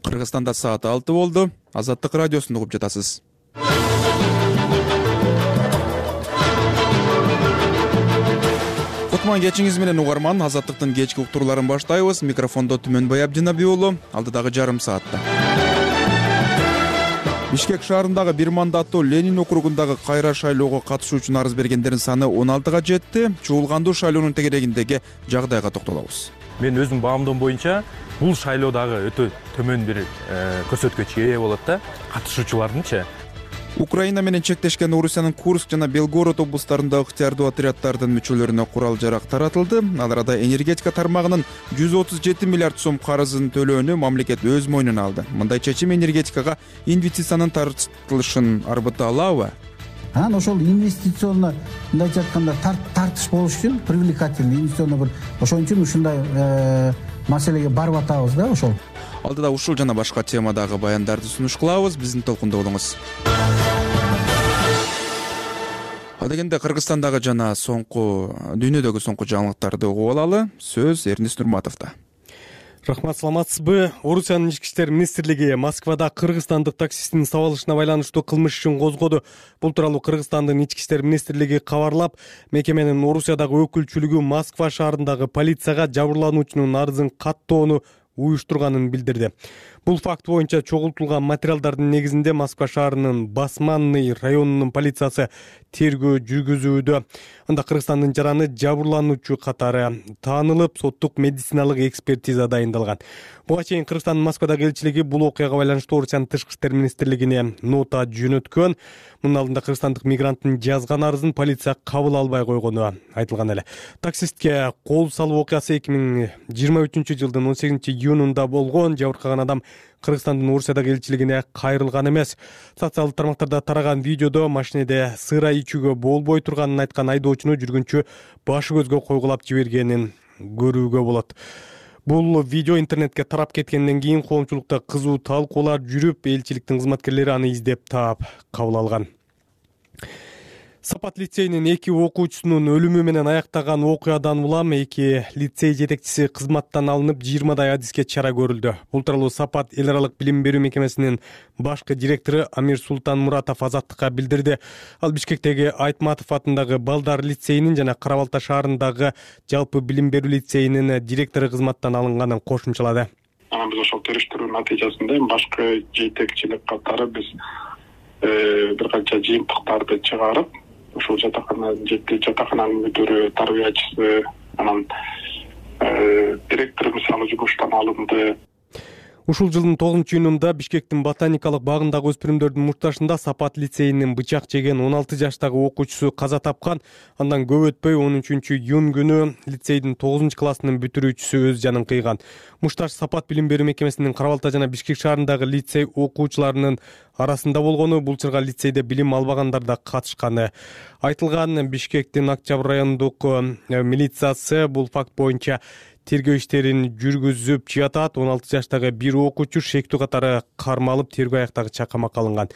Кыргызстанда саат 6 болду. Азаттык радиосун угуп жатасыз. Кутман кечиңиз менен угарман. Азаттыктын кечки уктурууларын баштайбыз. Микрофондо Түмөнбай Абдинабий уулу. Алдыдагы жарым саатта Бишкек шаарындагы бир мандаттуу Ленин округундагы кайра шайлоого катышуу үчүн арыз бергендердин саны 16га жетти. Чуулгандуу шайлоонун тегерегиндеги жагдайга токтолобуз. Мен өзүм баамдоом боюнча бул шайлоодагы өтө төмөн бир көрсөткүчкө ээ болот да, катышуучулардынчы. Украина менен чектешкен Орусиянын Курск жана Белгород облустарында ыктыярдуу отряддардын мүчөлөрүнө курал-жарак таратылды. Ал арада энергетика тармагынын 137 миллиард сом карызын төлөөнү мамлекет өз мойнуна алды. Мындай чечим энергетикага инвестициянын тартылышын арбыта алабы? Ошол инвестиционно мындайча айтканда тартыш болуш үчүн привлекательный инвестиционно бир ошон үчүн ушундай маселеге барып атабыз да ошол. Алдыда ушул жана башка темадагы баяндарды сунуш кылабыз. Биздин толкунда болуңуз. Ал дегенде Кыргызстандагы жана дүйнөдөгү соңку жаңылыктарды угуп алалы. Сөз Эрнис Нурматовдо. Рахмат, саламатсызбы? Орусиянын ички иштер министрлиги Москвада кыргызстандык таксисттин сабалышына байланыштуу кылмыш ишин козгоду. Бул тууралуу Кыргызстандын ички иштер министрлиги кабарлап, мекеменин Орусиядагы өкүлчүлүгү Москва шаарындагы полицияга жабырлануучунун арызын каттоону уюштурганын билдирди. Бул факт боюнча чогултулган материалдардын негизинде Москва шаарынын Басманный районунун полициясы тергөө жүргүзүүдө. Анда Кыргызстандын жараны жабырлануучу катары таанылып, соттук медициналык экспертиза дайындалган. Буга чейин Кыргызстандын Москвадагы элчилиги бул окуяга байланыштуу Орусиянын тышкы иштер министрлигине нота жөнөткөн. Мунун алдында кыргызстандык мигранттын жазган арызын полиция кабыл албай койгону айтылган эле. Таксистке кол салуу окуясы 2023-жылдын 18-июнунда болгон. Жабыркаган адам Кыргызстандын Орусиядагы элчилигине кайрылган эмес. Социалдык тармактарда тараган видеодо машинеде сыра ичүүгө болбой турганын айткан айдоочуну жүргүнчү башы көзгө койгулап жибергенин көрүүгө болот. Бул видео интернетке тарап кеткенден кийин коомчулукта кызуу талкуулар жүрүп, элчиликтин кызматкерлери аны издеп таап кабыл алган. Сапат лицейинин 2 окуучусунун өлүмү менен аяктаган окуядан улам 2 лицей жетекчиси кызматтан алынып 20дай адиске чара көрүлдү. Бул тууралуу Сапат эл аралык билим берүү мекемесинин башкы директору Амир Султанмуратов Азаттыкка билдирди. Ал Бишкектеги Айтматов атындагы Балдар лицейинин жана Кара Балта шаарындагы жалпы билим берүү лицейинин директору кызматтан алынганын кошумчалады. Биз ошол териштирүү натыйжасында башкы жетекчилик катары биз бир канча жыйынтыктарды чыгарып, ушул жатакананын мүдүрү, тарбиячысы, анан директор мисалы жумуштан алынды. Ушул жылдын 9-июнунда Бишкектин ботаникалык багындагы өспүрүмдөрдүн мушташында Сапат лицейинин бычак жеген 16 жаштагы окуучусу каза тапкан. Андан көп өтпөй 13-июнь күнү лицейдин 9-классынын бүтүрүүчүсү өз жанын кыйган. Мушташ Сапат билим берүү мекемесинин Кара Балта жана Бишкек шаарындагы лицей окуучуларынын арасында болгону, бул чырга лицейде билим албагандар да катышканы айтылган. Бишкектин Октябрь райондук милициясы бул факт боюнча тергөө иштерин жүргүзүп жатат. 16 жаштагы бир окуучу шектүү катары кармалып, тергөө аяктагыча камакка алынган.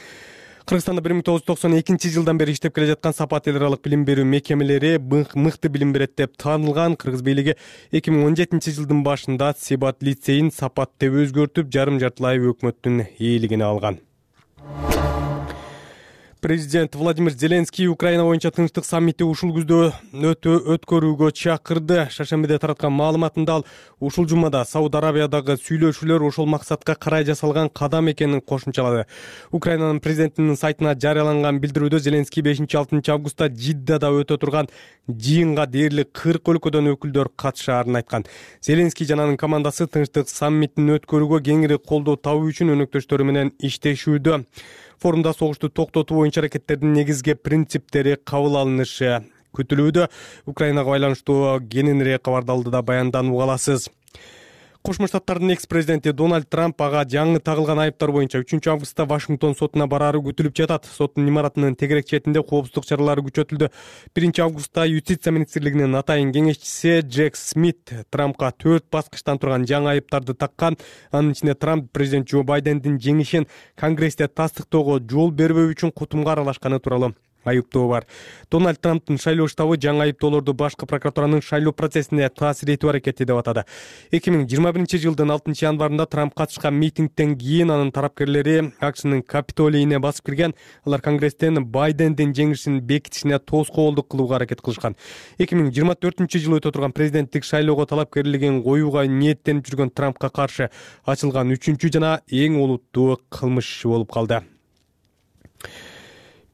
Кыргызстанда 1992 жылдан бери иштеп келе жаткан Сапат эл аралык билим берүү мекемелери мыкты билим берет деп таанылган. Кыргыз бийлиги 2017 жылдын башында Сибат лицейин Сапат деп өзгөртүп, жарым-жартылай өкмөттүн ээлигине алган. Президент Владимир Зеленский Украина боюнча тынчтык саммити ушул күздө өткөрүүгө чакырды. Шаршембиде тараткан маалыматында ал ушул жумада Сауд Арабиядагы сүйлөшүүлөр ошол максатка карай жасалган кадам экенин кошумчалады. Украинанын президентинин сайтына жарыяланган билдирүүдө Зеленский 5-6 августта Жиддада өтө турган жыйынга дээрлик 40 өлкөдөн өкүлдөр катышаарын айткан. Зеленский жана анын командасы тынчтык саммитин өткөрүүгө кеңири колдоо табуу үчүн өнөктөштөрү менен иштешүүдө. Форумда согушту токтотуу боюнча аракеттердин негизги принциптери кабыл алынышы күтүлүүдө. Украинага байланыштуу кененирээк кабарды алдыда баянданууга аласыз. Кошмо Штаттардын экс-президенти Дональд Трамп ага жаңы тагылган айыптар боюнча 3 августта Вашингтон сотуна бараары күтүлүп жатат. Соттун имаратынын тегерек четинде коопсуздук чаралары күчөтүлдү. 1 августта Юстиция министрлигинин атайын кеңешчиси Джек Смит Трампка 4 баскычтан турган жаңы айыптарды таккан. Анын ичинде Трамп президент Джо Байдендин жеңишин Конгрессте тастыктоого жол бербөө үчүн кутумга аралашканы тууралуу айыптоо бар. Дональд Трамптын шайлоо штабы жаңы айыптоолорду башкы прокуратуранын шайлоо процессине таасир этүү аракети деп атады. 2021-жылдын 6-январында Трамп катышкан митингден кийин анын тарапкерлери АКШнын Капитолийине басып кирген. Алар Конгресстен Байдендин жеңишин бекитишине тоскоолдук кылууга аракет кылышкан. 2024-жылы өтө турган президенттик шайлоого талапкерлигин коюуга ниеттенип жүргөн Трампка каршы ачылган 3-чү жана эң олуттуу кылмыш иши болуп калды.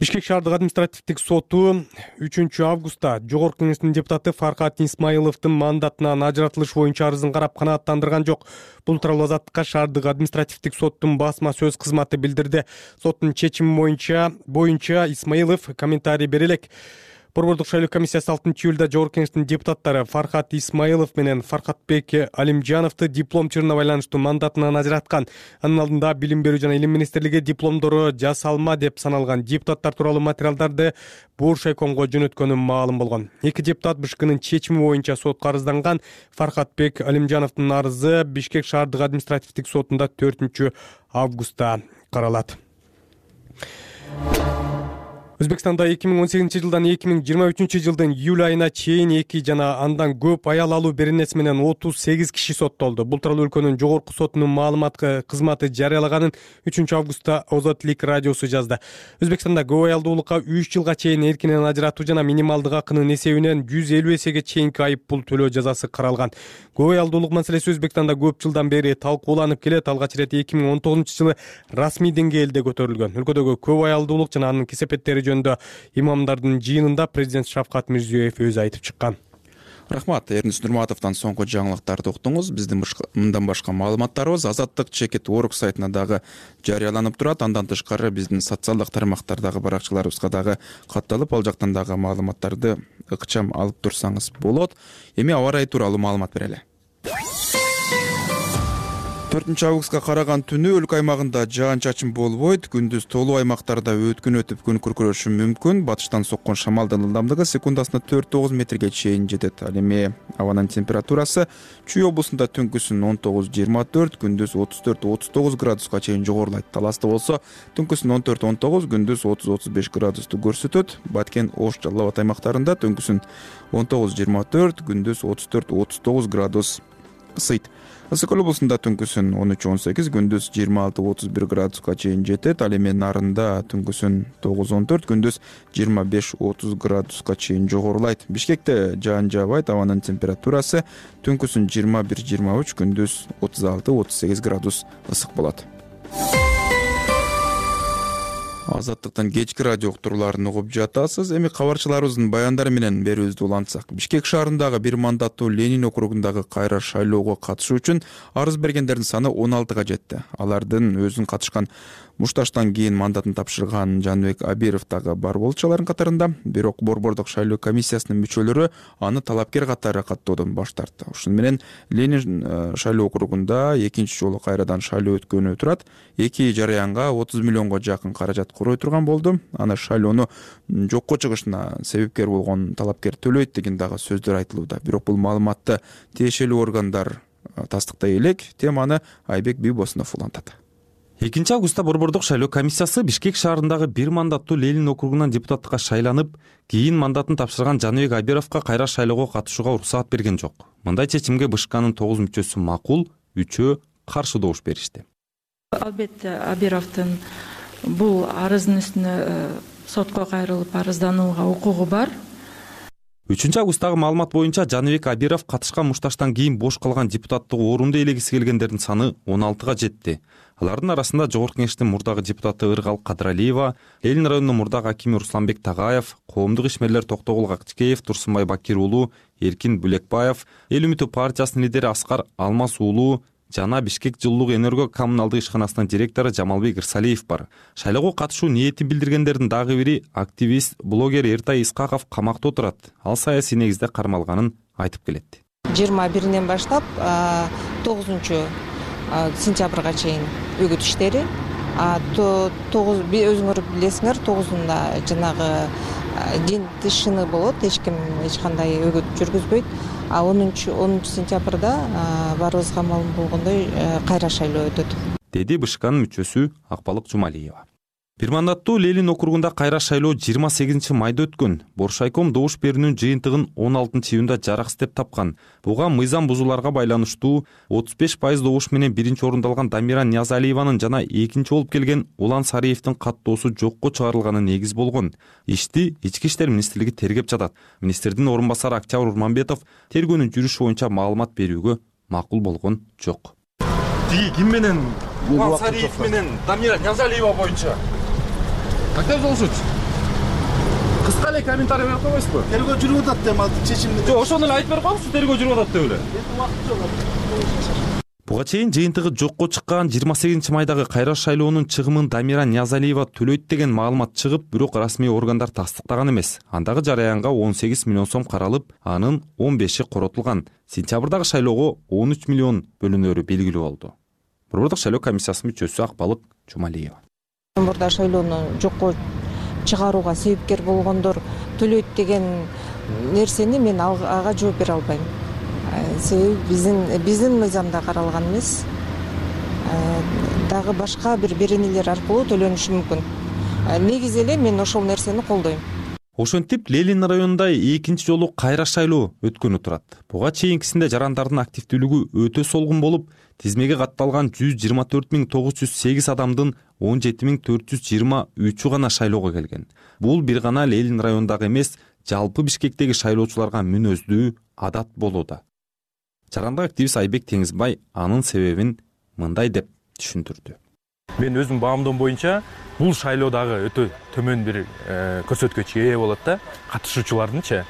Бишкек шаардык административдик соту 3-августта Жогорку Кеңештин депутаты Фархат Исмаиловдун мандатынан ажыратылыш боюнча арызын карап канааттандырган жок. Бул тууралуу Азаттыкка шаардык административдик соттун басма сөз кызматы билдирди. Соттун чечими боюнча Исмаилов комментарий бере элек. Борбордук шайлоо комиссиясы 6-июлда Жогорку Кеңештин депутаттары Фархат Исмаилов менен Фархатбек Алимжановду диплом чырына байланыштуу мандатынан ажыраткан. Анын алдында Билим берүү жана Илим министрлиги дипломдору жасалма деп саналган депутаттар тууралуу материалдарды Буршайкомго жөнөткөнү маалым болгон. Эки депутат БШКнын чечими боюнча сотко арызланган. Фархатбек Алимжановдун арызы Бишкек шаардык административдик сотунда 4-августта каралат. Өзбекстанда 2018-жылдан 2023-жылдын июль айына чейин 2 жана андан көп аял алуу беренеси менен 38 киши соттолду. Бул тууралуу өлкөнүн жогорку сотунун маалымат кызматы жарыялаганын 3-августта Озотлик радиосу жазды. Өзбекстанда көп аялдуулукка 3 жылга чейин эркинен ажыратуу жана минималдык акынын эсебинен 150 эсеге чейинки айып пул төлөө жазасы каралган. Көп аялдуулук маселеси Өзбекстанда көп жылдан бери талкууланып келет. Алгач ирет 2019-жылы расмий деңгээлде көтөрүлгөн. Өлкөдөгү көп аялдуулук жана анын кесепеттери имамдардын жыйынында президент Шавкат Мирзиёев өзү айтып чыккан. Рахмат, Эрнис Нурматовдон соңку жаңылыктарды уктуңуз. Биздин мындан башка маалыматтарыбыз Азаттык /org сайтына дагы жарыяланып турат. Андан тышкары биздин социалдык тармактардагы баракчаларыбызга дагы катталып, ал жактан дагы маалыматтарды ыкчам алып турсаңыз болот. Эми аба ырайы тууралуу маалымат берели. 4-августка караган түнү өлкө аймагында жаан-чачын болбойт. Күндүз толуу аймактарда өткүн өтүп күн күркүрөшү мүмкүн. Батыштан соккон шамалдын ылдамдыгы секундасына 4-9 метрге чейин жетет. Ал эми абанын температурасы Чүй облусунда түнкүсүн 19-24, күндүз 34-39 градуска чейин жогорулайт. Таласта болсо түнкүсүн 14-19, күндүз 30-35 градусту көрсөтөт. Баткен, Ош, Жалал Абад аймактарында түнкүсүн 19-24, күндүз 34-39 градус ысыйт. Ысык-Көл облусунда түнкүсүн 13-18, күндүз 26-31 градуска чейин жетет. Ал эми Нарында түнкүсүн 9-14, күндүз 25-30 градуска чейин жогорулайт. Бишкекте жаан жаабайт, абанын температурасы түнкүсүн 21-23, күндүз 36-38 градус ысык болот. Азаттыктан кечки радио уктурууларын угуп жатасыз. Эми кабарчыларыбыздын баяндары менен берүүбүздү улантсак. Бишкек шаарындагы бир мандаттуу Ленин округундагы кайра шайлоого катышуу үчүн арыз бергендердин саны 16га жетти. Алардын өзүн катышкан мушташтан кийин мандатын тапшырган Жаныбек Абиров дагы бар болчу алардын катарында. Бирок борбордук шайлоо комиссиясынын мүчөлөрү аны талапкер катары каттоодон баш тартты. Ошону менен Ленин шайлоо округунда экинчи жолу кайрадан шайлоо өткөнү турат. 2 жараянга 30 миллионго жакын каражат курой турган болду. Аны шайлоону жокко чыгышына себепкер болгон талапкер төлөйт деген дагы сөздөр айтылууда. Бирок бул маалыматты тиешелүү органдар тастыктай элек. Теманы Айбек Бибосунов улантат. 2-августта борбордук шайлоо комиссиясы Бишкек шаарындагы бир мандаттуу Ленин округунан депутаттыкка шайланып, кийин мандатын тапшырган Жаныбек Абировго кайра шайлоого катышууга уруксаат берген жок. Мындай чечимге БШКнын 9 мүчөсү макул, 3-өө каршы добуш беришти. Албетте Абировдун бул арыздын үстүнө сотко кайрылып арызданууга укугу бар. 3-августтагы маалымат боюнча Жаныбек Абиров катышкан мушташтан кийин бош калган депутаттык орунду ээлегиси келгендердин саны 16га жетти. Алардын арасында Жогорку Кеңештин мурдагы депутаты Ыргал Кадралиева, Ленин районунун мурдагы акими Русланбек Тагаев, коомдук ишмерлер Токтогул Акчекеев, Турсунбай Бакир уулу, Эркин Бүлекбаев, Эл үмүтү партиясынын лидери Аскар Алмаз уулу жана Бишкек жылуулук энерго коммуналдык ишканасынын директору Жамалбек Ирсалиев бар. Шайлоого катышуу ниетин билдиргендердин дагы бири активист, блогер Эртай Исқақов камакта отурат. Ал саясий негизде кармалганын айтып келет. 21-ден баштап 9 сентябрга чейин үгүт иштери. Өзүңөр билесиңер, 9-унда жанагы дин тышыны болот, эч кандай үгүт жүргүзбөйт. 10 сентябрда баарыбызга маалым болгондой кайра шайлоо өтөт. Деди БШКнын мүчөсү Акбалык Жумалиева. Бир мандаттуу Ленин округунда кайра шайлоо 28 майда өткөн. Боршайком добуш берүүнүн жыйынтыгын 16-июнда жараксыз деп тапкан. Буга мыйзам бузууларга байланыштуу 35% добуш менен биринчи орунду алган Дамира Ниязалиеванын жана экинчи болуп келген Улан Сариевдин каттоосу жокко чыгарылганы негиз болгон. Ишти Ички иштер министрлиги тергеп жатат. Министрдин орун басары Октябрь Урманбетов тергөөнүн жүрүшү боюнча маалымат берүүгө макул болгон жок. Ким менен Улан Сариев менен Дамира Ниязалиева боюнча кандай болушучу? Кыска эле комментарий берип койбойсузбу? Тергөө жүрүп атат деп атып чечимди. Жок, ошону эле айтып берип коеңузчу, тергөө жүрүп атат деп эле. Буга чейин жыйынтыгы жокко чыккан 28 майдагы кайра шайлоонун чыгымын Дамира Ниязалиева төлөйт деген маалымат чыгып, бирок расмий органдар тастыктаган эмес. Андагы жараянга 18 миллион сом каралып, анын 15и коротулган. Сентябрдагы шайлоого 13 миллион бөлүнөрү белгилүү болду. Борбордук шайлоо комиссиясынын мүчөсү Акбалык Жумалиева. Мурда шайлоону жокко чыгарууга себепкер болгондор төлөйт деген нерсени мен ага жооп бере албайм. Себеби биздин мыйзамда каралган эмес. Дагы башка бир беренелер аркылуу төлөнүшү мүмкүн. Негизи эле мен ошол нерсени колдойм. Ошентип Ленин районунда экинчи жолу кайра шайлоо өткөнү турат. Буга чейинкисинде жарандардын активдүүлүгү өтө солгун болуп, тизмеге катталган 124.908 адамдын 17.423 гана шайлоого келген. Бул бир гана Ленин районундагы эмес, жалпы Бишкектеги шайлоочуларга мүнөздүү адат болууда. Жарандык активист Айбек Теңизбай анын себебин мындай деп түшүндүрдү. Мен өзүм баамдоом боюнча бул шайлоодагы өтө төмөн бир көрсөткүчкө ээ болот да, катышуучулардынчы.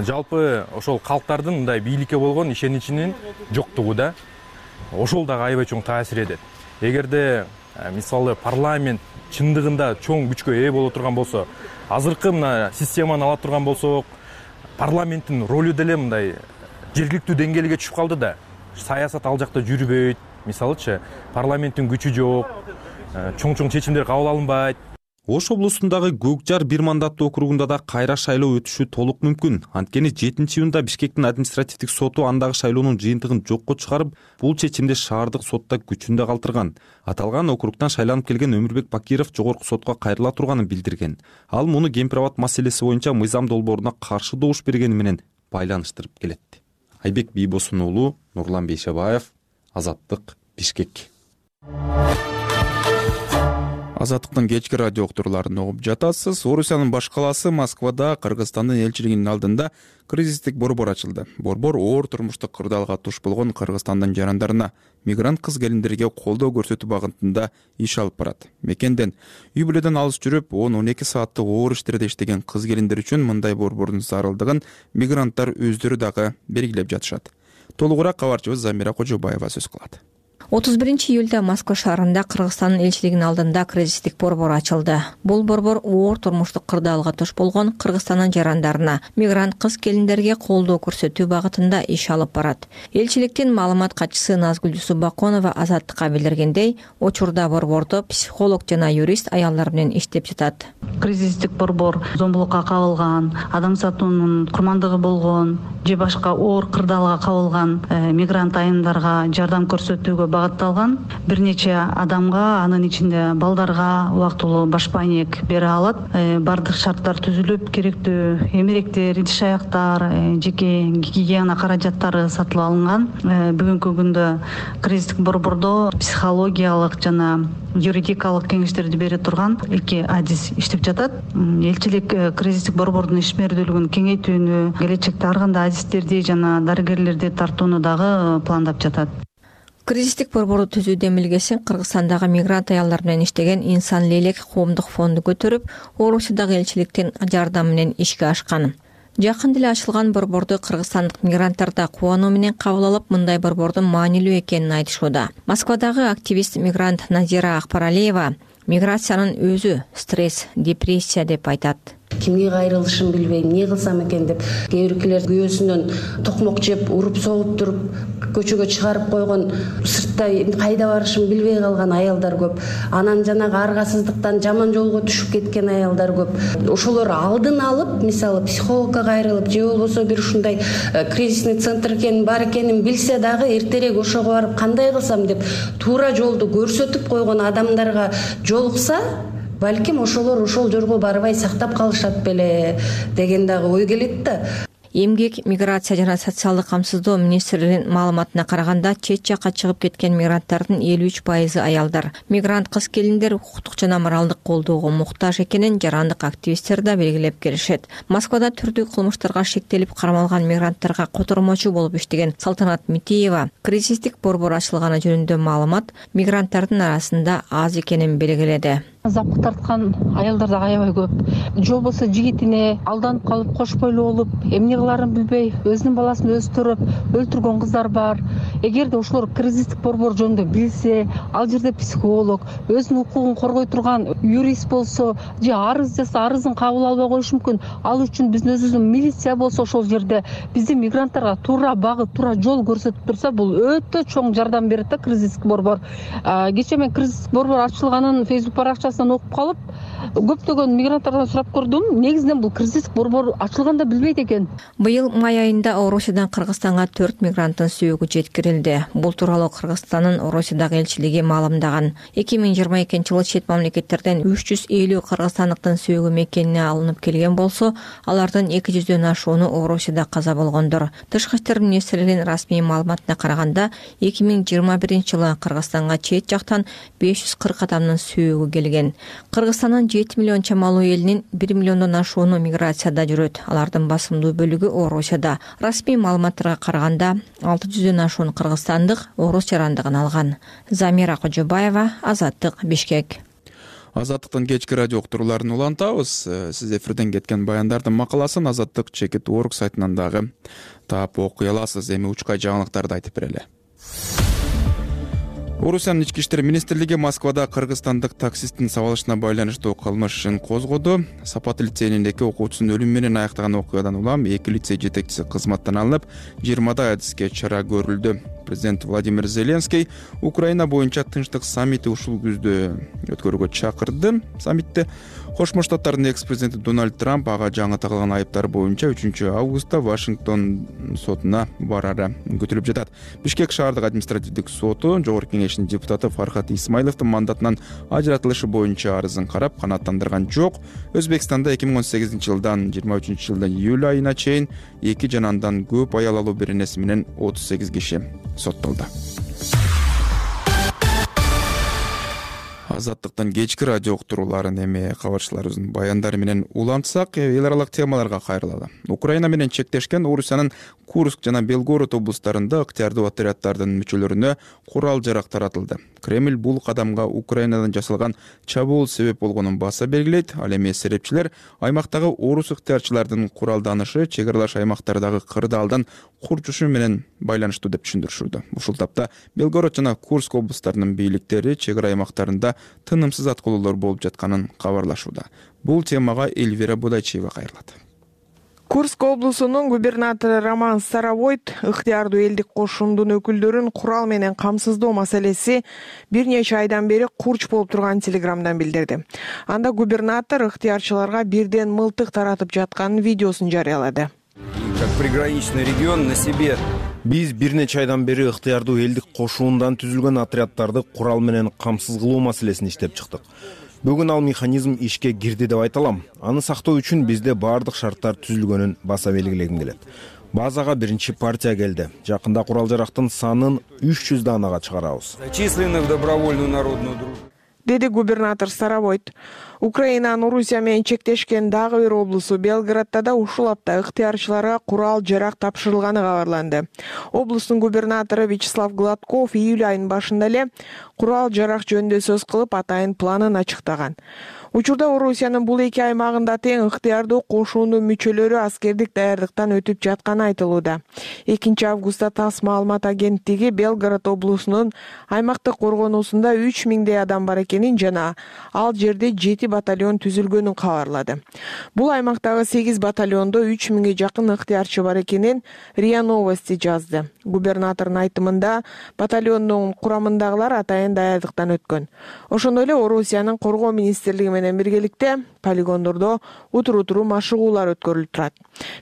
Жалпы ошол калктардын мындай бийликке болгон ишеничинин жоктугу да ошол дагы аябай чоң таасир этет. Эгерде мисалы парламент чындыгында чоң күчкө ээ боло турган болсо, азыркы мына системаны ала турган болсок, парламенттин ролу деле мындай жергиликтүү деңгээлге түшүп калды да. Саясат ал жакта жүрбөйт. Мисалычы, парламенттин күчү жок, чоң чечимдер кабыл алынбайт. Ош облусундагы Көкжар бир мандаттуу округунда да кайра шайлоо өтүшү толук мүмкүн. Анткени 7-июнда Бишкектин административдик соту андагы шайлоонун жыйынтыгын жокко чыгарып, бул чечимди шаардык сотта күчүндө калтырган. Аталган округтан шайланып келген Өмүрбек Бакиров жогорку сотко кайрыла турганын билдирген. Ал муну кемпир-абад маселеси боюнча мыйзам долбооруна каршы добуш бергени менен байланыштырып келет. Айбек Бийбосун уулу, Нурлан Бейшебаев, Азаттык, Бишкек. Азаттыктын кечки радио уктурууларын угуп жатасыз. Орусиянын баш калаасы Москвада Кыргызстандын элчилигинин алдында кризистик борбор ачылды. Борбор оор турмуштук кырдаалга туш болгон Кыргызстандын жарандарына, мигрант кыз-келиндерге колдоо көрсөтүү багытында иш алып барат. Мекенден үй бүлөдөн алыс жүрүп, 10-12 сааттык оор иштерде иштеген кыз-келиндер үчүн мындай борбордун зарылдыгын мигранттар өздөрү дагы белгилеп жатышат. Толугураак кабарчыбыз Замира Кожобаева сөз кылат. 31-июлда Москва шаарында Кыргызстандын элчилигинин алдында кризистик борбор ачылды. Бул борбор оор турмуштук кырдаалга туш болгон Кыргызстандын жарандарына, мигрант кыз-келиндерге колдоо көрсөтүү багытында иш алып барат. Элчиликтин маалымат катчысы Назгүл Жусупбаконова Азаттыкка билдиргендей, учурда борбордо психолог жана юрист аялдар менен иштеп жатат. Кризистик борбор зомбулукка кабылган, адам сатуунун курмандыгы болгон же башка оор кырдаалга кабылган мигрант айымдарга жардам көрсөтүүгө багытталган. Бир нече адамга, анын ичинде балдарга убактылуу башпайнек бере алат. Бардык шарттар түзүлүп, керектүү эмеректер, идиш аяктар, жеке гигиена каражаттары сатылып алынган. Бүгүнкү күндө кризистик борбордо психологиялык жана юридикалык кеңештерди бере турган 2 адис иштеп жатат. Элчилик кризистик борбордун ишмердүүлүгүн кеңейтүүнү, келечекте ар кандай адистерди жана дарыгерлерди тартууну дагы пландап жатат. Кризистик борборду түзүү демилгесин Кыргызстандагы мигрант аялдар менен иштеген Инсан Лелек коомдук фонду көтөрүп, Орусиядагы элчиликтин жардамы менен ишке ашкан. Жакын деле ачылган борборду кыргызстандык мигранттар да кубануу менен кабыл алып, мындай борбордун маанилүү экенин айтышууда. Москвадагы активист мигрант Назира Акбаралиева миграциянын өзү стресс, депрессия деп айтат. Кимге кайрылышын билбейм, эмне кылсам экен деп, кээ биркилер күйөөсүнөн токмок жеп, уруп согуп туруп, көчөгө чыгарып койгон, сыртта кайда барышын билбей калган аялдар көп. Анан жанагы аргасыздыктан жаман жолго түшүп кеткен аялдар көп. Ошолор алдын алып, мисалы психологко кайрылып, же болбосо бир ушундай кризисный центр экенин, бар экенин билсе дагы эртерээк ошого барып кандай кылсам деп туура жолду көрсөтүп койгон адамдарга жолукса, балким ошолор ошол жорго барбай сактап калышат беле деген дагы ой келет да. Эмгек, миграция жана социалдык камсыздоо министрлигинин маалыматына караганда, чет жакка чыгып кеткен мигранттардын 53% аялдар. Мигрант кыз келиндер укуктук жана моралдык колдоого муктаж экенин жарандык активисттер да белгилеп келишет. Москвада түрдүү кылмыштарга шектелип кармалган мигранттарга котормочу болуп иштеген Салтанат Митиева кризистик борбор ачылганы жөнүндө маалымат мигранттардын арасында аз экенин белгиледи. Запкы тарткан аялдар да аябай көп. Же болбосо жигитине алданып калып, кош бойлуу болуп, эмне кыларын билбей, өзүнүн баласын өзү төрөп өлтүргөн кыздар бар. Эгерде ошолор кризистик борбор жөнүндө билсе, ал жерде психолог, өзүнүн укугун коргой турган юрист болсо, же арыз жазса, арызын кабыл албай коюшу мүмкүн. Ал үчүн биздин өзүбүздүн милиция болсо ошол жерде биздин мигранттарга туура багыт, туура жол көрсөтүп турса, бул өтө чоң жардам берет да кризистик борбор. Кечээ мен кризистик борбор ачылганын Facebook баракчасы окуп калып, көптөгөн мигранттардан сурап көрдүм. Негизинен бул кризистик борбор ачылганда билбейт экен. Быйыл май айында Орусиядан Кыргызстанга 4 мигранттын сөөгү жеткирилди. Бул тууралуу Кыргызстандын Орусиядагы элчилиги маалымдаган. 2022-жылы чет мамлекеттерден 350 кыргызстандыктын сөөгү мекенине алынып келген болсо, алардын 200дөн ашууну Орусияда каза болгондор. Тышкы иштер министрлигинин расмий маалыматына караганда, 2021-жылы Кыргызстанга чет жактан 540 адамдын сөөгү келген. Кыргызстандын 7 миллион чамалуу элинин 1 миллиондон ашууну миграцияда жүрөт. Алардын басымдуу бөлүгү Орусияда. Расмий маалыматтарга караганда 600дөн ашуун кыргызстандык орус жарандыгын алган. Замира Кожобаева, Азаттык, Бишкек. Азаттыктын кечки радио уктурууларын улантабыз. Сиз эфирден кеткен баяндардын макаласын azattik.org сайтынан дагы таап окуй аласыз. Эми учкай жаңылыктарды айтып берели. Орусиянын ички иштер министрлиги Москвада кыргызстандык таксисттин сабалышына байланыштуу кылмыш ишин козгоду. Сапат лицейинин 2 окуучусун өлүм менен аяктаган окуядан улам 2 лицей жетекчиси кызматтан алынып, 20 адиске чара көрүлдү. Президент Владимир Зеленский Украина боюнча тынчтык саммити ушул күздө өткөрүүгө чакырды. Саммитте Кошмо Штаттардын экс-президенти Дональд Трамп ага жаңы тагылган айыптар боюнча 3-августта Вашингтон сотуна барары күтүлүп жатат. Бишкек шаардык административдик соту Жогорку кеңешинин депутаты Фархат Исмайловдун мандатынан ажыратылышы боюнча арызын карап канааттандырган жок. Өзбекстанда 2018-жылдан 23-жылдын июль айына чейин 2 жана андан көп аял алуу беренеси менен 38 киши соттолду. Азаттыктан кечки радио уктурууларын эми кабарчыларыбыздын баяндары менен улантсак, эл аралык темаларга кайрылалы. Украина менен чектешкен Орусиянын Курск жана Белгород облустарында ыктыярдуу отряддардын мүчөлөрүнө курал-жарак таратылды. Кремль бул кадамга Украинадан жасалган чабуул себеп болгонун баса белгилейт. Ал эми серепчилер аймактагы орус ыктыярчылардын куралданышы чек аралаш аймактардагы кырдаалдан курчушу менен байланыштуу деп түшүндүрүшүүдө. Ушул тапта Белгород жана Курск облустарынын бийликтери чек ара аймактарында тынымсыз аткылоолор болуп жатканын кабарлашууда. Бул темага Эльвира Будайчиева кайрылат. Курск облусунун губернатору Роман Старовойт ыктыярдуу элдик кошундун өкүлдөрүн курал менен камсыздоо маселеси бир нече айдан бери курч болуп турганын телеграмдан билдирди. Анда губернатор ыктыярчыларга бирден мылтык таратып жатканын видеосун жарыялады. Как приграничный регион на себе. Биз бир нече айдан бери ыктыярдуу элдик кошуундан түзүлгөн отряддарды курал менен камсыз кылуу маселесин иштеп чыктык. Бүгүн ал механизм ишке кирди деп айта алам. Аны сактоо үчүн бизде баардык шарттар түзүлгөнүн баса белгилегим келет. Базага биринчи партия келди. Жакында курал-жарактын санын 300 данага чыгарабыз. Зачислены в добровольную народную дружбу, деди губернатор Старовойт. Украинанын Орусия менен чектешкен дагы бир облусу Белгородто да ушул апта ыктыярчыларга курал-жарак тапшырылганы кабарланды. Облустун губернатору Вячеслав Гладков июль айынын башында эле курал-жарак жөнүндө сөз кылып, атайын планын ачыктаган. Учурда Орусиянын бул эки аймагында тең ыктыярдуу кошуунун мүчөлөрү аскердик даярдыктан өтүп жатканы айтылууда. 2 августта ТАСС маалымат агенттиги Белгород облусунун аймактык коргоонусунда 3000 адам бар экенин жана ал жерде 7 батальон түзүлгөнүн кабарлады. Бул аймактагы 8 батальондо 3000 жакын ыктыярчы бар экенин РИА Новости жазды. Губернатордун айтымында батальондун курамындагылар атайын даярдыктан өткөн. Ошондой эле Орусиянын коргоо министрлиги менен биргеликте полигондордо утуру машыгуулар өткөрүлүп турат.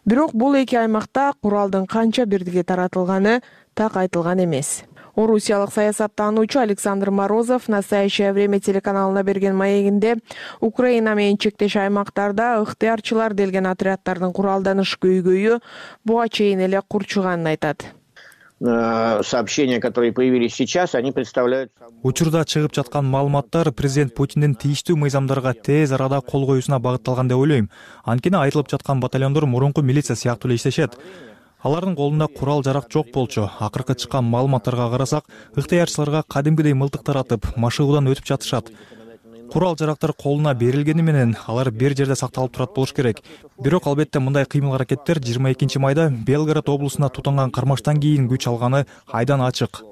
Бирок бул эки аймакта куралдын канча бирдиге таратылганы так айтылган эмес. Орусиялык саясаттануучу Александр Морозов «Настоящее время» телеканалына берген маегинде Украина менен чектеш аймактарда ыктыярчылар делген отряддардын куралданыш көйгөйү буга чейин эле курчуганын айтат. Сообщения, которые появились сейчас, они представляют... Учурда чыгып жаткан маалыматтар президент Путиндин тийиштүү мыйзамдарга тез арада кол коюусуна багытталган деп ойлойм. Анткени айтылып жаткан батальондор мурунку милиция сыяктуу эле иштешет. Алардын колунда курал-жарак жок болчу. Акыркы чыккан маалыматтарга карасак, ыктыярчыларга кадимгидей мылтык таратып, машыгуудан өтүп жатышат. Курал-жарактар колуна берилгени менен алар бир жерде сакталып турат болуш керек. Бирок албетте мындай кыймыл-аракеттер 22 майда Белгород облусунда тутанган кармаштан кийин күч алганы айдан ачык,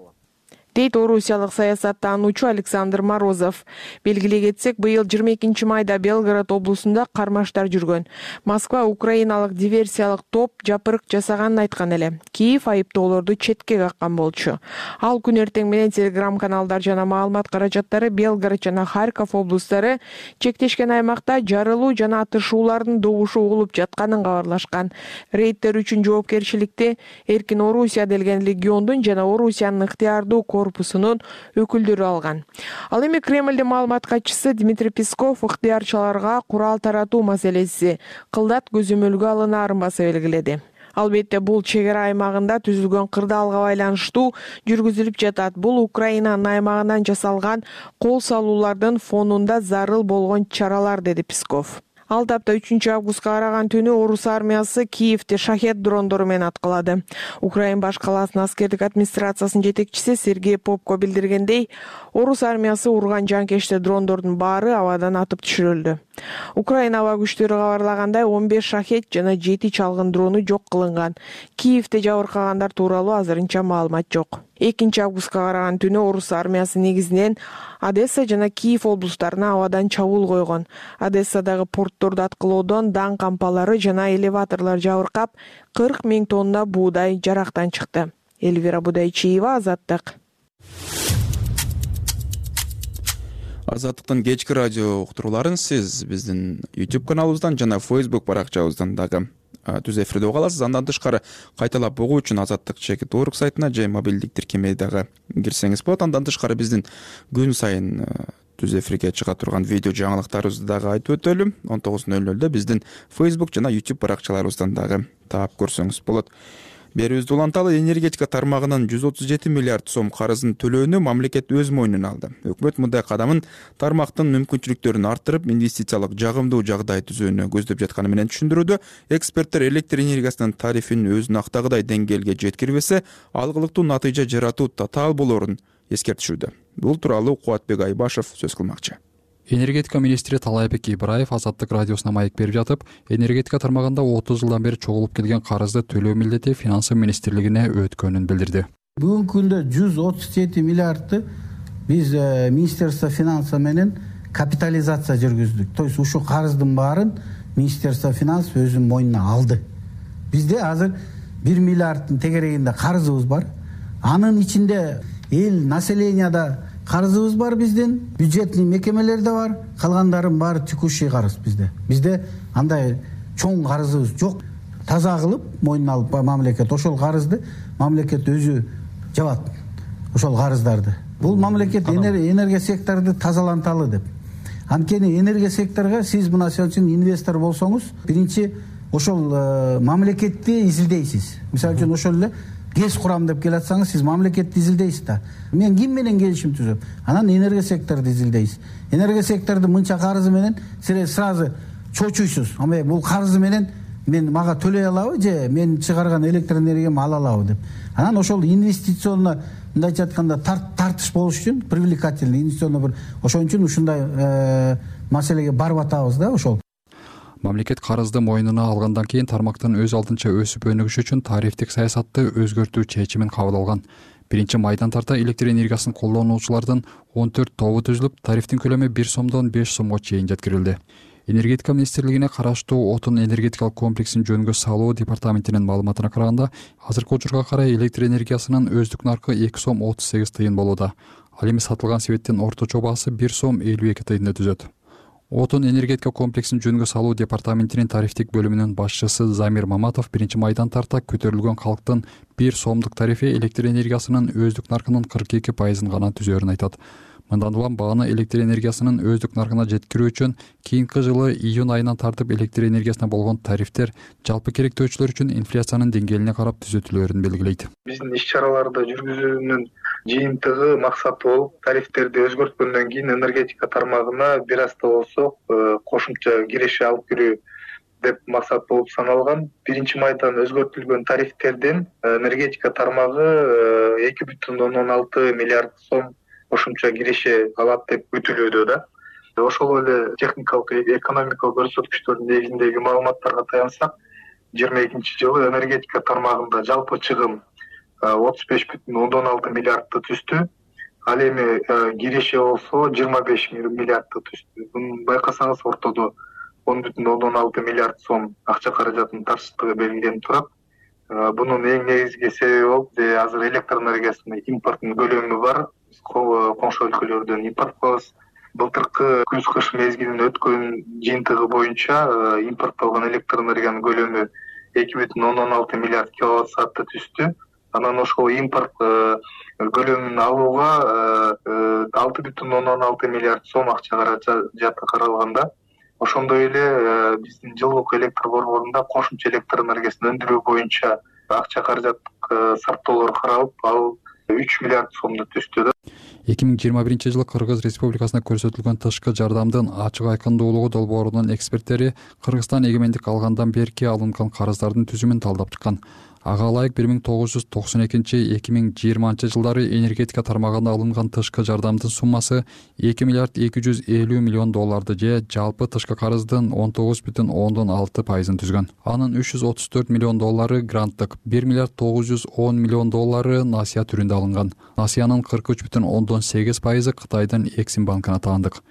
дейт орусиялык саясаттануучу Александр Морозов. Белгилей кетсек, быйыл 22 майда Белгород облусунда кармаштар жүргөн. Москва украиналык диверсиялык топ жапырык жасаганын айткан эле. Киев айыптоолорду четке каккан болчу. Ал күн эртең менен телеграм-каналдар жана маалымат каражаттары Белгород жана Харьков облустары чектешкен аймакта жарылуу жана атышуулардын добушу угулуп жатканын кабарлашкан. Рейдтер үчүн жоопкерчиликти Эркин Орусия делген легиондун жана Орусиянын ыктыярдуу корпусунун өкүлдөрү алган. Ал эми Кремлдин маалымат катчысы Дмитрий Песков ыктыярчыларга курал таратуу маселеси кылдат көзөмөлгө алынаарын баса белгиледи. Албетте бул чек ара аймагында түзүлгөн кырдаалга байланыштуу жүргүзүлүп жатат. Бул Украинанын аймагынан жасалган кол салуулардын фонунда зарыл болгон чаралар, деди Песков. Ал тапта 3 августка караган түнү орус армиясы Киевди шахет дрондору менен аткылады. Украин баш калаасынын аскердик администрациясынын жетекчиси Сергей Попко билдиргендей, орус армиясы урган жанкечте дрондордун баары абадан атып түшүрүлдү. Украина аба күчтөрү кабарлагандай 15 шахет жана 7 чалгын дрону жок кылынган. Киевде жабыркагандар тууралуу азырынча маалымат жок. 2 августка караган түнү орус армиясы негизинен Одесса жана Киев облустарына абадан чабуул койгон. Одессадагы портторду аткылоодон дан кампалары жана элеваторлор жабыркап, 40 000 тонна буудай жарактан чыкты. Эльвира Будайчиева, Азаттык. Азаттыктын кечки радио уктурууларын сиз биздин YouTube каналыбыздан жана Facebook баракчабыздан дагы түз эфирде уга аласыз. Андан тышкары кайталап угуу үчүн Азаттык.org сайтына же мобилдик тиркемеге дагы кирсеңиз болот. Андан тышкары биздин күн сайын түз эфирге чыга турган видео жаңылыктарыбызды дагы айтып өтөлү. 19:00 биздин Facebook жана YouTube баракчаларыбыздан дагы таап көрсөңүз болот. Берүүбүздү уланталы. Энергетика тармагынын 137 миллиард сом карызын төлөөнү мамлекет өз мойнуна алды. Өкмөт мындай кадамын тармактын мүмкүнчүлүктөрүн арттырып, инвестициялык жагымдуу жагдай түзүүнү көздөп жатканы менен түшүндүрүүдө. Эксперттер электр энергиясынын тарифин өзүнө актагыдай деңгээлге жеткирбесе, алгылыктуу натыйжа жаратуу татаал болоорун эскертишүүдө. Бул тууралуу Кубатбек Айбашев сөз кылмакчы. Энергетика министри Талайбек Ибраев Азаттык радиосуна маек берип жатып, энергетика тармагында 30 жылдан бери чогулуп келген карызды төлөө милдети финансы министрлигине өткөнүн билдирди. Бүгүнкү күндө 137 миллиардты биз Министерство финансы менен капитализация жүргүздүк. То есть ушул карыздын баарын Министерство финансы өзүнүн мойнуна алды. Бизде азыр 1 миллиардтын тегерегинде карызыбыз бар. Анын ичинде эл населенияда карызыбыз бар, биздин бюджетный мекемелерде бар, калгандарын баары текущий карыз бизде. Бизде андай чоң карызыбыз жок. Таза кылып мойнуна алып мамлекет ошол карызды мамлекет өзү жабат. Ошол карыздарды. Бул мамлекет энергия секторду тазаланталы деп. Анткени энергия секторго сиз мына үчүн инвестор болсоңуз, биринчи ошол мамлекетти изилдейсиз. Мисалы үчүн ошол эле ГЭС курам деп келатсаңыз, сиз мамлекетти изилдейсиз да. Мен ким менен келишим түзөм? Анан энергия секторду изилдейсиз. Энергия секторду мынча карызы менен сразу чочуйсуз. Ама бул карызы менен мен мага төлөй алабы же мен чыгарган электр энергиямды ала алабы деп. Анан ошол инвестиционно мындайча айтканда тартыш болуш үчүн, привлекательный инвестиционно бир ошон үчүн ушундай маселеге барып атабыз да ошол. Мамлекет карызды мойнуна алгандан кийин тармактын өз алдынча өсүп өнүгүш үчүн тарифтик саясатты өзгөртүү чечимин кабыл алган. 1 тарта электр энергиясын колдонуучулардын 14 тобу түзүлүп, тарифтин көлөмү 1 сомдон 5 сомго чейин жеткирилди. Энергетика министрлигине караштуу отун энергетикалык комплексин жөнгө салуу департаментинин маалыматына караганда, азыркы учурга карай электр энергиясынын өздүк наркы 2 сом 38 тыйын болууда. Ал эми сатылган себеттин орточо баасы 1 сом 52 тыйынды түзөт. Отун энергетика комплексин жөнгө салуу департаментинин тарифтик бөлүмүнүн башчысы Замир Маматов 1 майдан тарта көтөрүлгөн калктын 1 сомдук тарифи электр энергиясынын өздүк наркынын 42% гана түзөөрүн айтат. Мындан улам бааны электр энергиясынын өздүк наркына жеткирүү үчүн кийинки жылы июнь айынан тартып электр энергиясына болгон тарифтер жалпы керектөөчүлөр үчүн инфляциянын деңгээлине карап түзөтүлөөрүн белгилейт. Биздин иш-чараларды жүргүзүүнүн жыйынтыгы максаты болуп, тарифтерди өзгөрткөндөн кийин энергетика тармагына бир аз да болсо кошумча киреше алып кирүү деп максат болуп саналган. 1 майдан өзгөртүлгөн тарифтерден энергетика тармагы 2,6 миллиард сом кошумча киреше алат деп күтүлүүдө да. Ошол эле техникалык экономикалык көрсөткүчтөрдүн негизиндеги маалыматтарга таянсак, 22-жылы энергетика тармагында жалпы чыгым 35,6 миллиардты түздү. Ал эми киреше болсо 25 миллиардты түздү. Буну байкасаңыз ортодо 10,6 миллиард сом акча каражатынын тартыштыгы белгиленип турат. Бунун эң негизги себеби болуп, азыр электр энергиясынын импорттун көлөмү бар. Коңшу өлкөлөрдөн импорт кылабыз. Былтыркы күз-кыш мезгилинин өткөн жыйынтыгы боюнча импорттолгон электр энергиянын көлөмү 2,6 миллиард киловатт саатты түздү. Анан ошол импорт көлөмүн алууга 6,6 миллиард сом акча каражаты каралганда. Ошондой эле биздин жылдык электр борборунда кошумча электр энергиясын өндүрүү боюнча акча каражаттык сарптоолор каралып, ал 3 миллиард сомду түздү. 2021 жылы Кыргыз Республикасына көрсөтүлгөн тышкы жардамдын ачык айкындуулугу долбоорунун эксперттери Кыргызстан эгемендик алгандан берки алынган карыздардын түзүмүн талдап чыккан. Ага ылайык 1992-2020 жылдары энергетика тармагында алынган тышкы жардамдын суммасы 2 миллиард 250 миллион долларды же жалпы тышкы карыздын 19,6% түзгөн. Анын 334 миллион доллары гранттык, 1 миллиард 910 миллион доллары насыя түрүндө алынган. Насыянын 43,8% Кытайдын Эксим банкына таандык.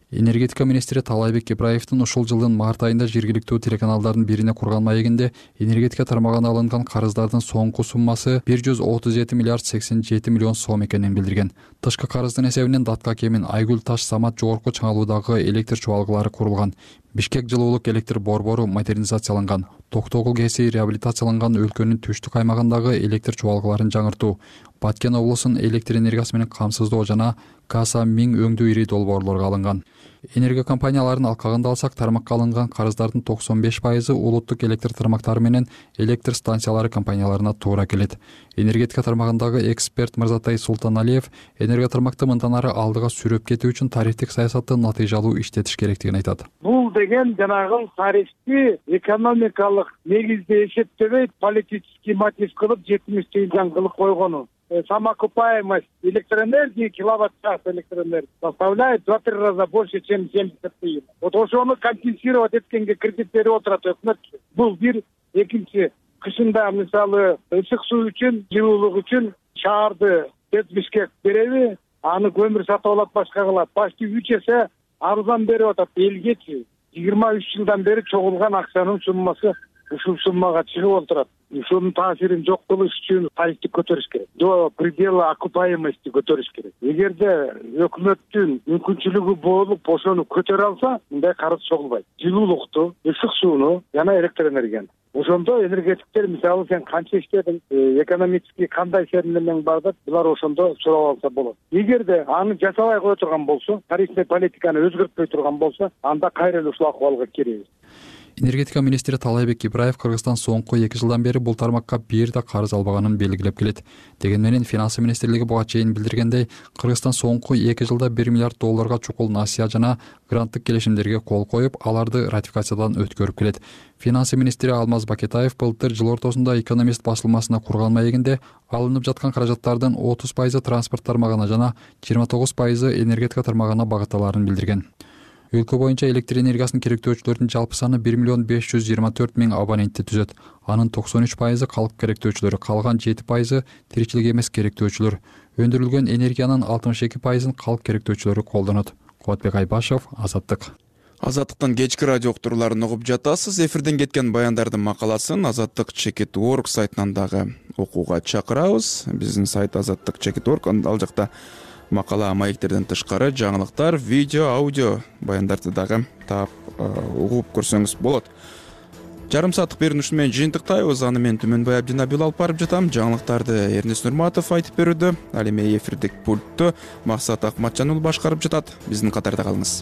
Энергетика министри Талайбек Ибраевдин ушул жылдын март айында жергиликтүү телеканалдардын бирине курган маегинде энергетика тармагына алынган карыздардын соңку суммасы 137 миллиард 87 миллион сом экенин билдирген. Тышкы карыздын эсебинен Датка Кемин, Айгүл Таш, Самат жогорку чыңалуудагы электр чубалгылары курулган. Бишкек жылуулук электр борбору модернизацияланган. Токтогул КЭСи реабилитацияланган өлкөнүн түштүк аймагындагы электр чубалгыларын жаңыртуу, Баткен облусунун электр энергиясы менен камсыздоо жана Каса Миң өңдүү ири долбоорлорго алынган. Энергия компанияларынын алкагында алсак, тармакка алынган карыздардын 95% улуттук электр тармактары менен электр станциялары компанияларына туура келет. Энергетика тармагындагы эксперт Мырзатай Султаналиев энергия тармакты мындан ары алдыга сүрөп кетүү үчүн тарифтик саясатты натыйжалуу иштетиш керектигин айтат. Бул деген жанагы тарифти экономикалык негизде эсептебей, политический мотив кылып 70% кылып койгону. Самоокупаемость электроэнергии, киловатт-час электроэнергии составляет 2-3 раза больше, чем 70 тыйын. Вот ошону компенсировать эткенге кредит берип отурат өкмөт. Бул бир. Экинчи, кышында мисалы ысык суу үчүн, жылуулук үчүн шаарды Бишкек береби, аны көмүр сатып алат, башка кылат. Почти 3 эсе арзан берип атат элгечи. 23 жылдан бери чогулган акчанын суммасы ушул суммага чыгып отурат. Ушунун таасирин жок кылыш үчүн тарифти көтөрүш керек. До предела окупаемости көтөрүш керек. Эгерде өкмөттүн мүмкүнчүлүгү болуп ошону көтөрө алса, мындай карыз чогулбайт. Жылуулукту, ысык сууну жана электр энергияны. Ошондо энергетиктер мисалы сен канча иштедиң, экономический кандай сермелең бар деп, булар ошондо сурап алса болот. Эгерде аны жасабай кое турган болсо, тарифный политиканы өзгөртпөй турган болсо, анда кайра эле ушул акыбалга киребиз. Энергетика министри Талайбек Ибраев Кыргызстан соңку 2 жылдан бери бул тармакка бир да карыз албаганын белгилеп келет. Деген менен Финансы министрлиги буга чейин билдиргендей, Кыргызстан соңку 2 жылда 1 миллиард долларга чукул насыя жана гранттык келишимдерге кол коюп, аларды ратификациядан өткөрүп келет. Финансы министри Алмаз Бакетаев былтыр жыл ортосунда Экономист басылмасына курган маегинде алынып жаткан каражаттардын 30% транспорт тармагына жана 29% энергетика тармагына багытталарын билдирген. Өлкө боюнча электр энергиясынын керектөөчүлөрүнүн жалпы саны 1 миллион 524 миң абонентти түзөт. Анын 93% калк керектөөчүлөр, калган 7% тиричилик эмес керектөөчүлөр. Өндүрүлгөн энергиянын 62%ын калк керектөөчүлөрү колдонот. Кубатбек Айбашев, Азаттык. Азаттыктын кечки радио уктурууларын угуп жатасыз. Эфирден кеткен баяндардын макаласын azattik.org сайтынан дагы окууга чакырабыз. Биздин сайт azattik.org, ал жакта Макала маектерден тышкары жаңылыктар, видео, аудио баяндарды дагы таап угуп көрсөңүз болот. Жарым сааттык берүүнү менен жыйынтыктайбыз. Аны мен Түмөнбай Абдинабил алып барып жатам. Жаңылыктарды Эрнест Нурматов айтып берүүдө, ал эми эфирдик пультту Максат Акматжан уулу башкарып жатат. Биздин катарда калыңыз.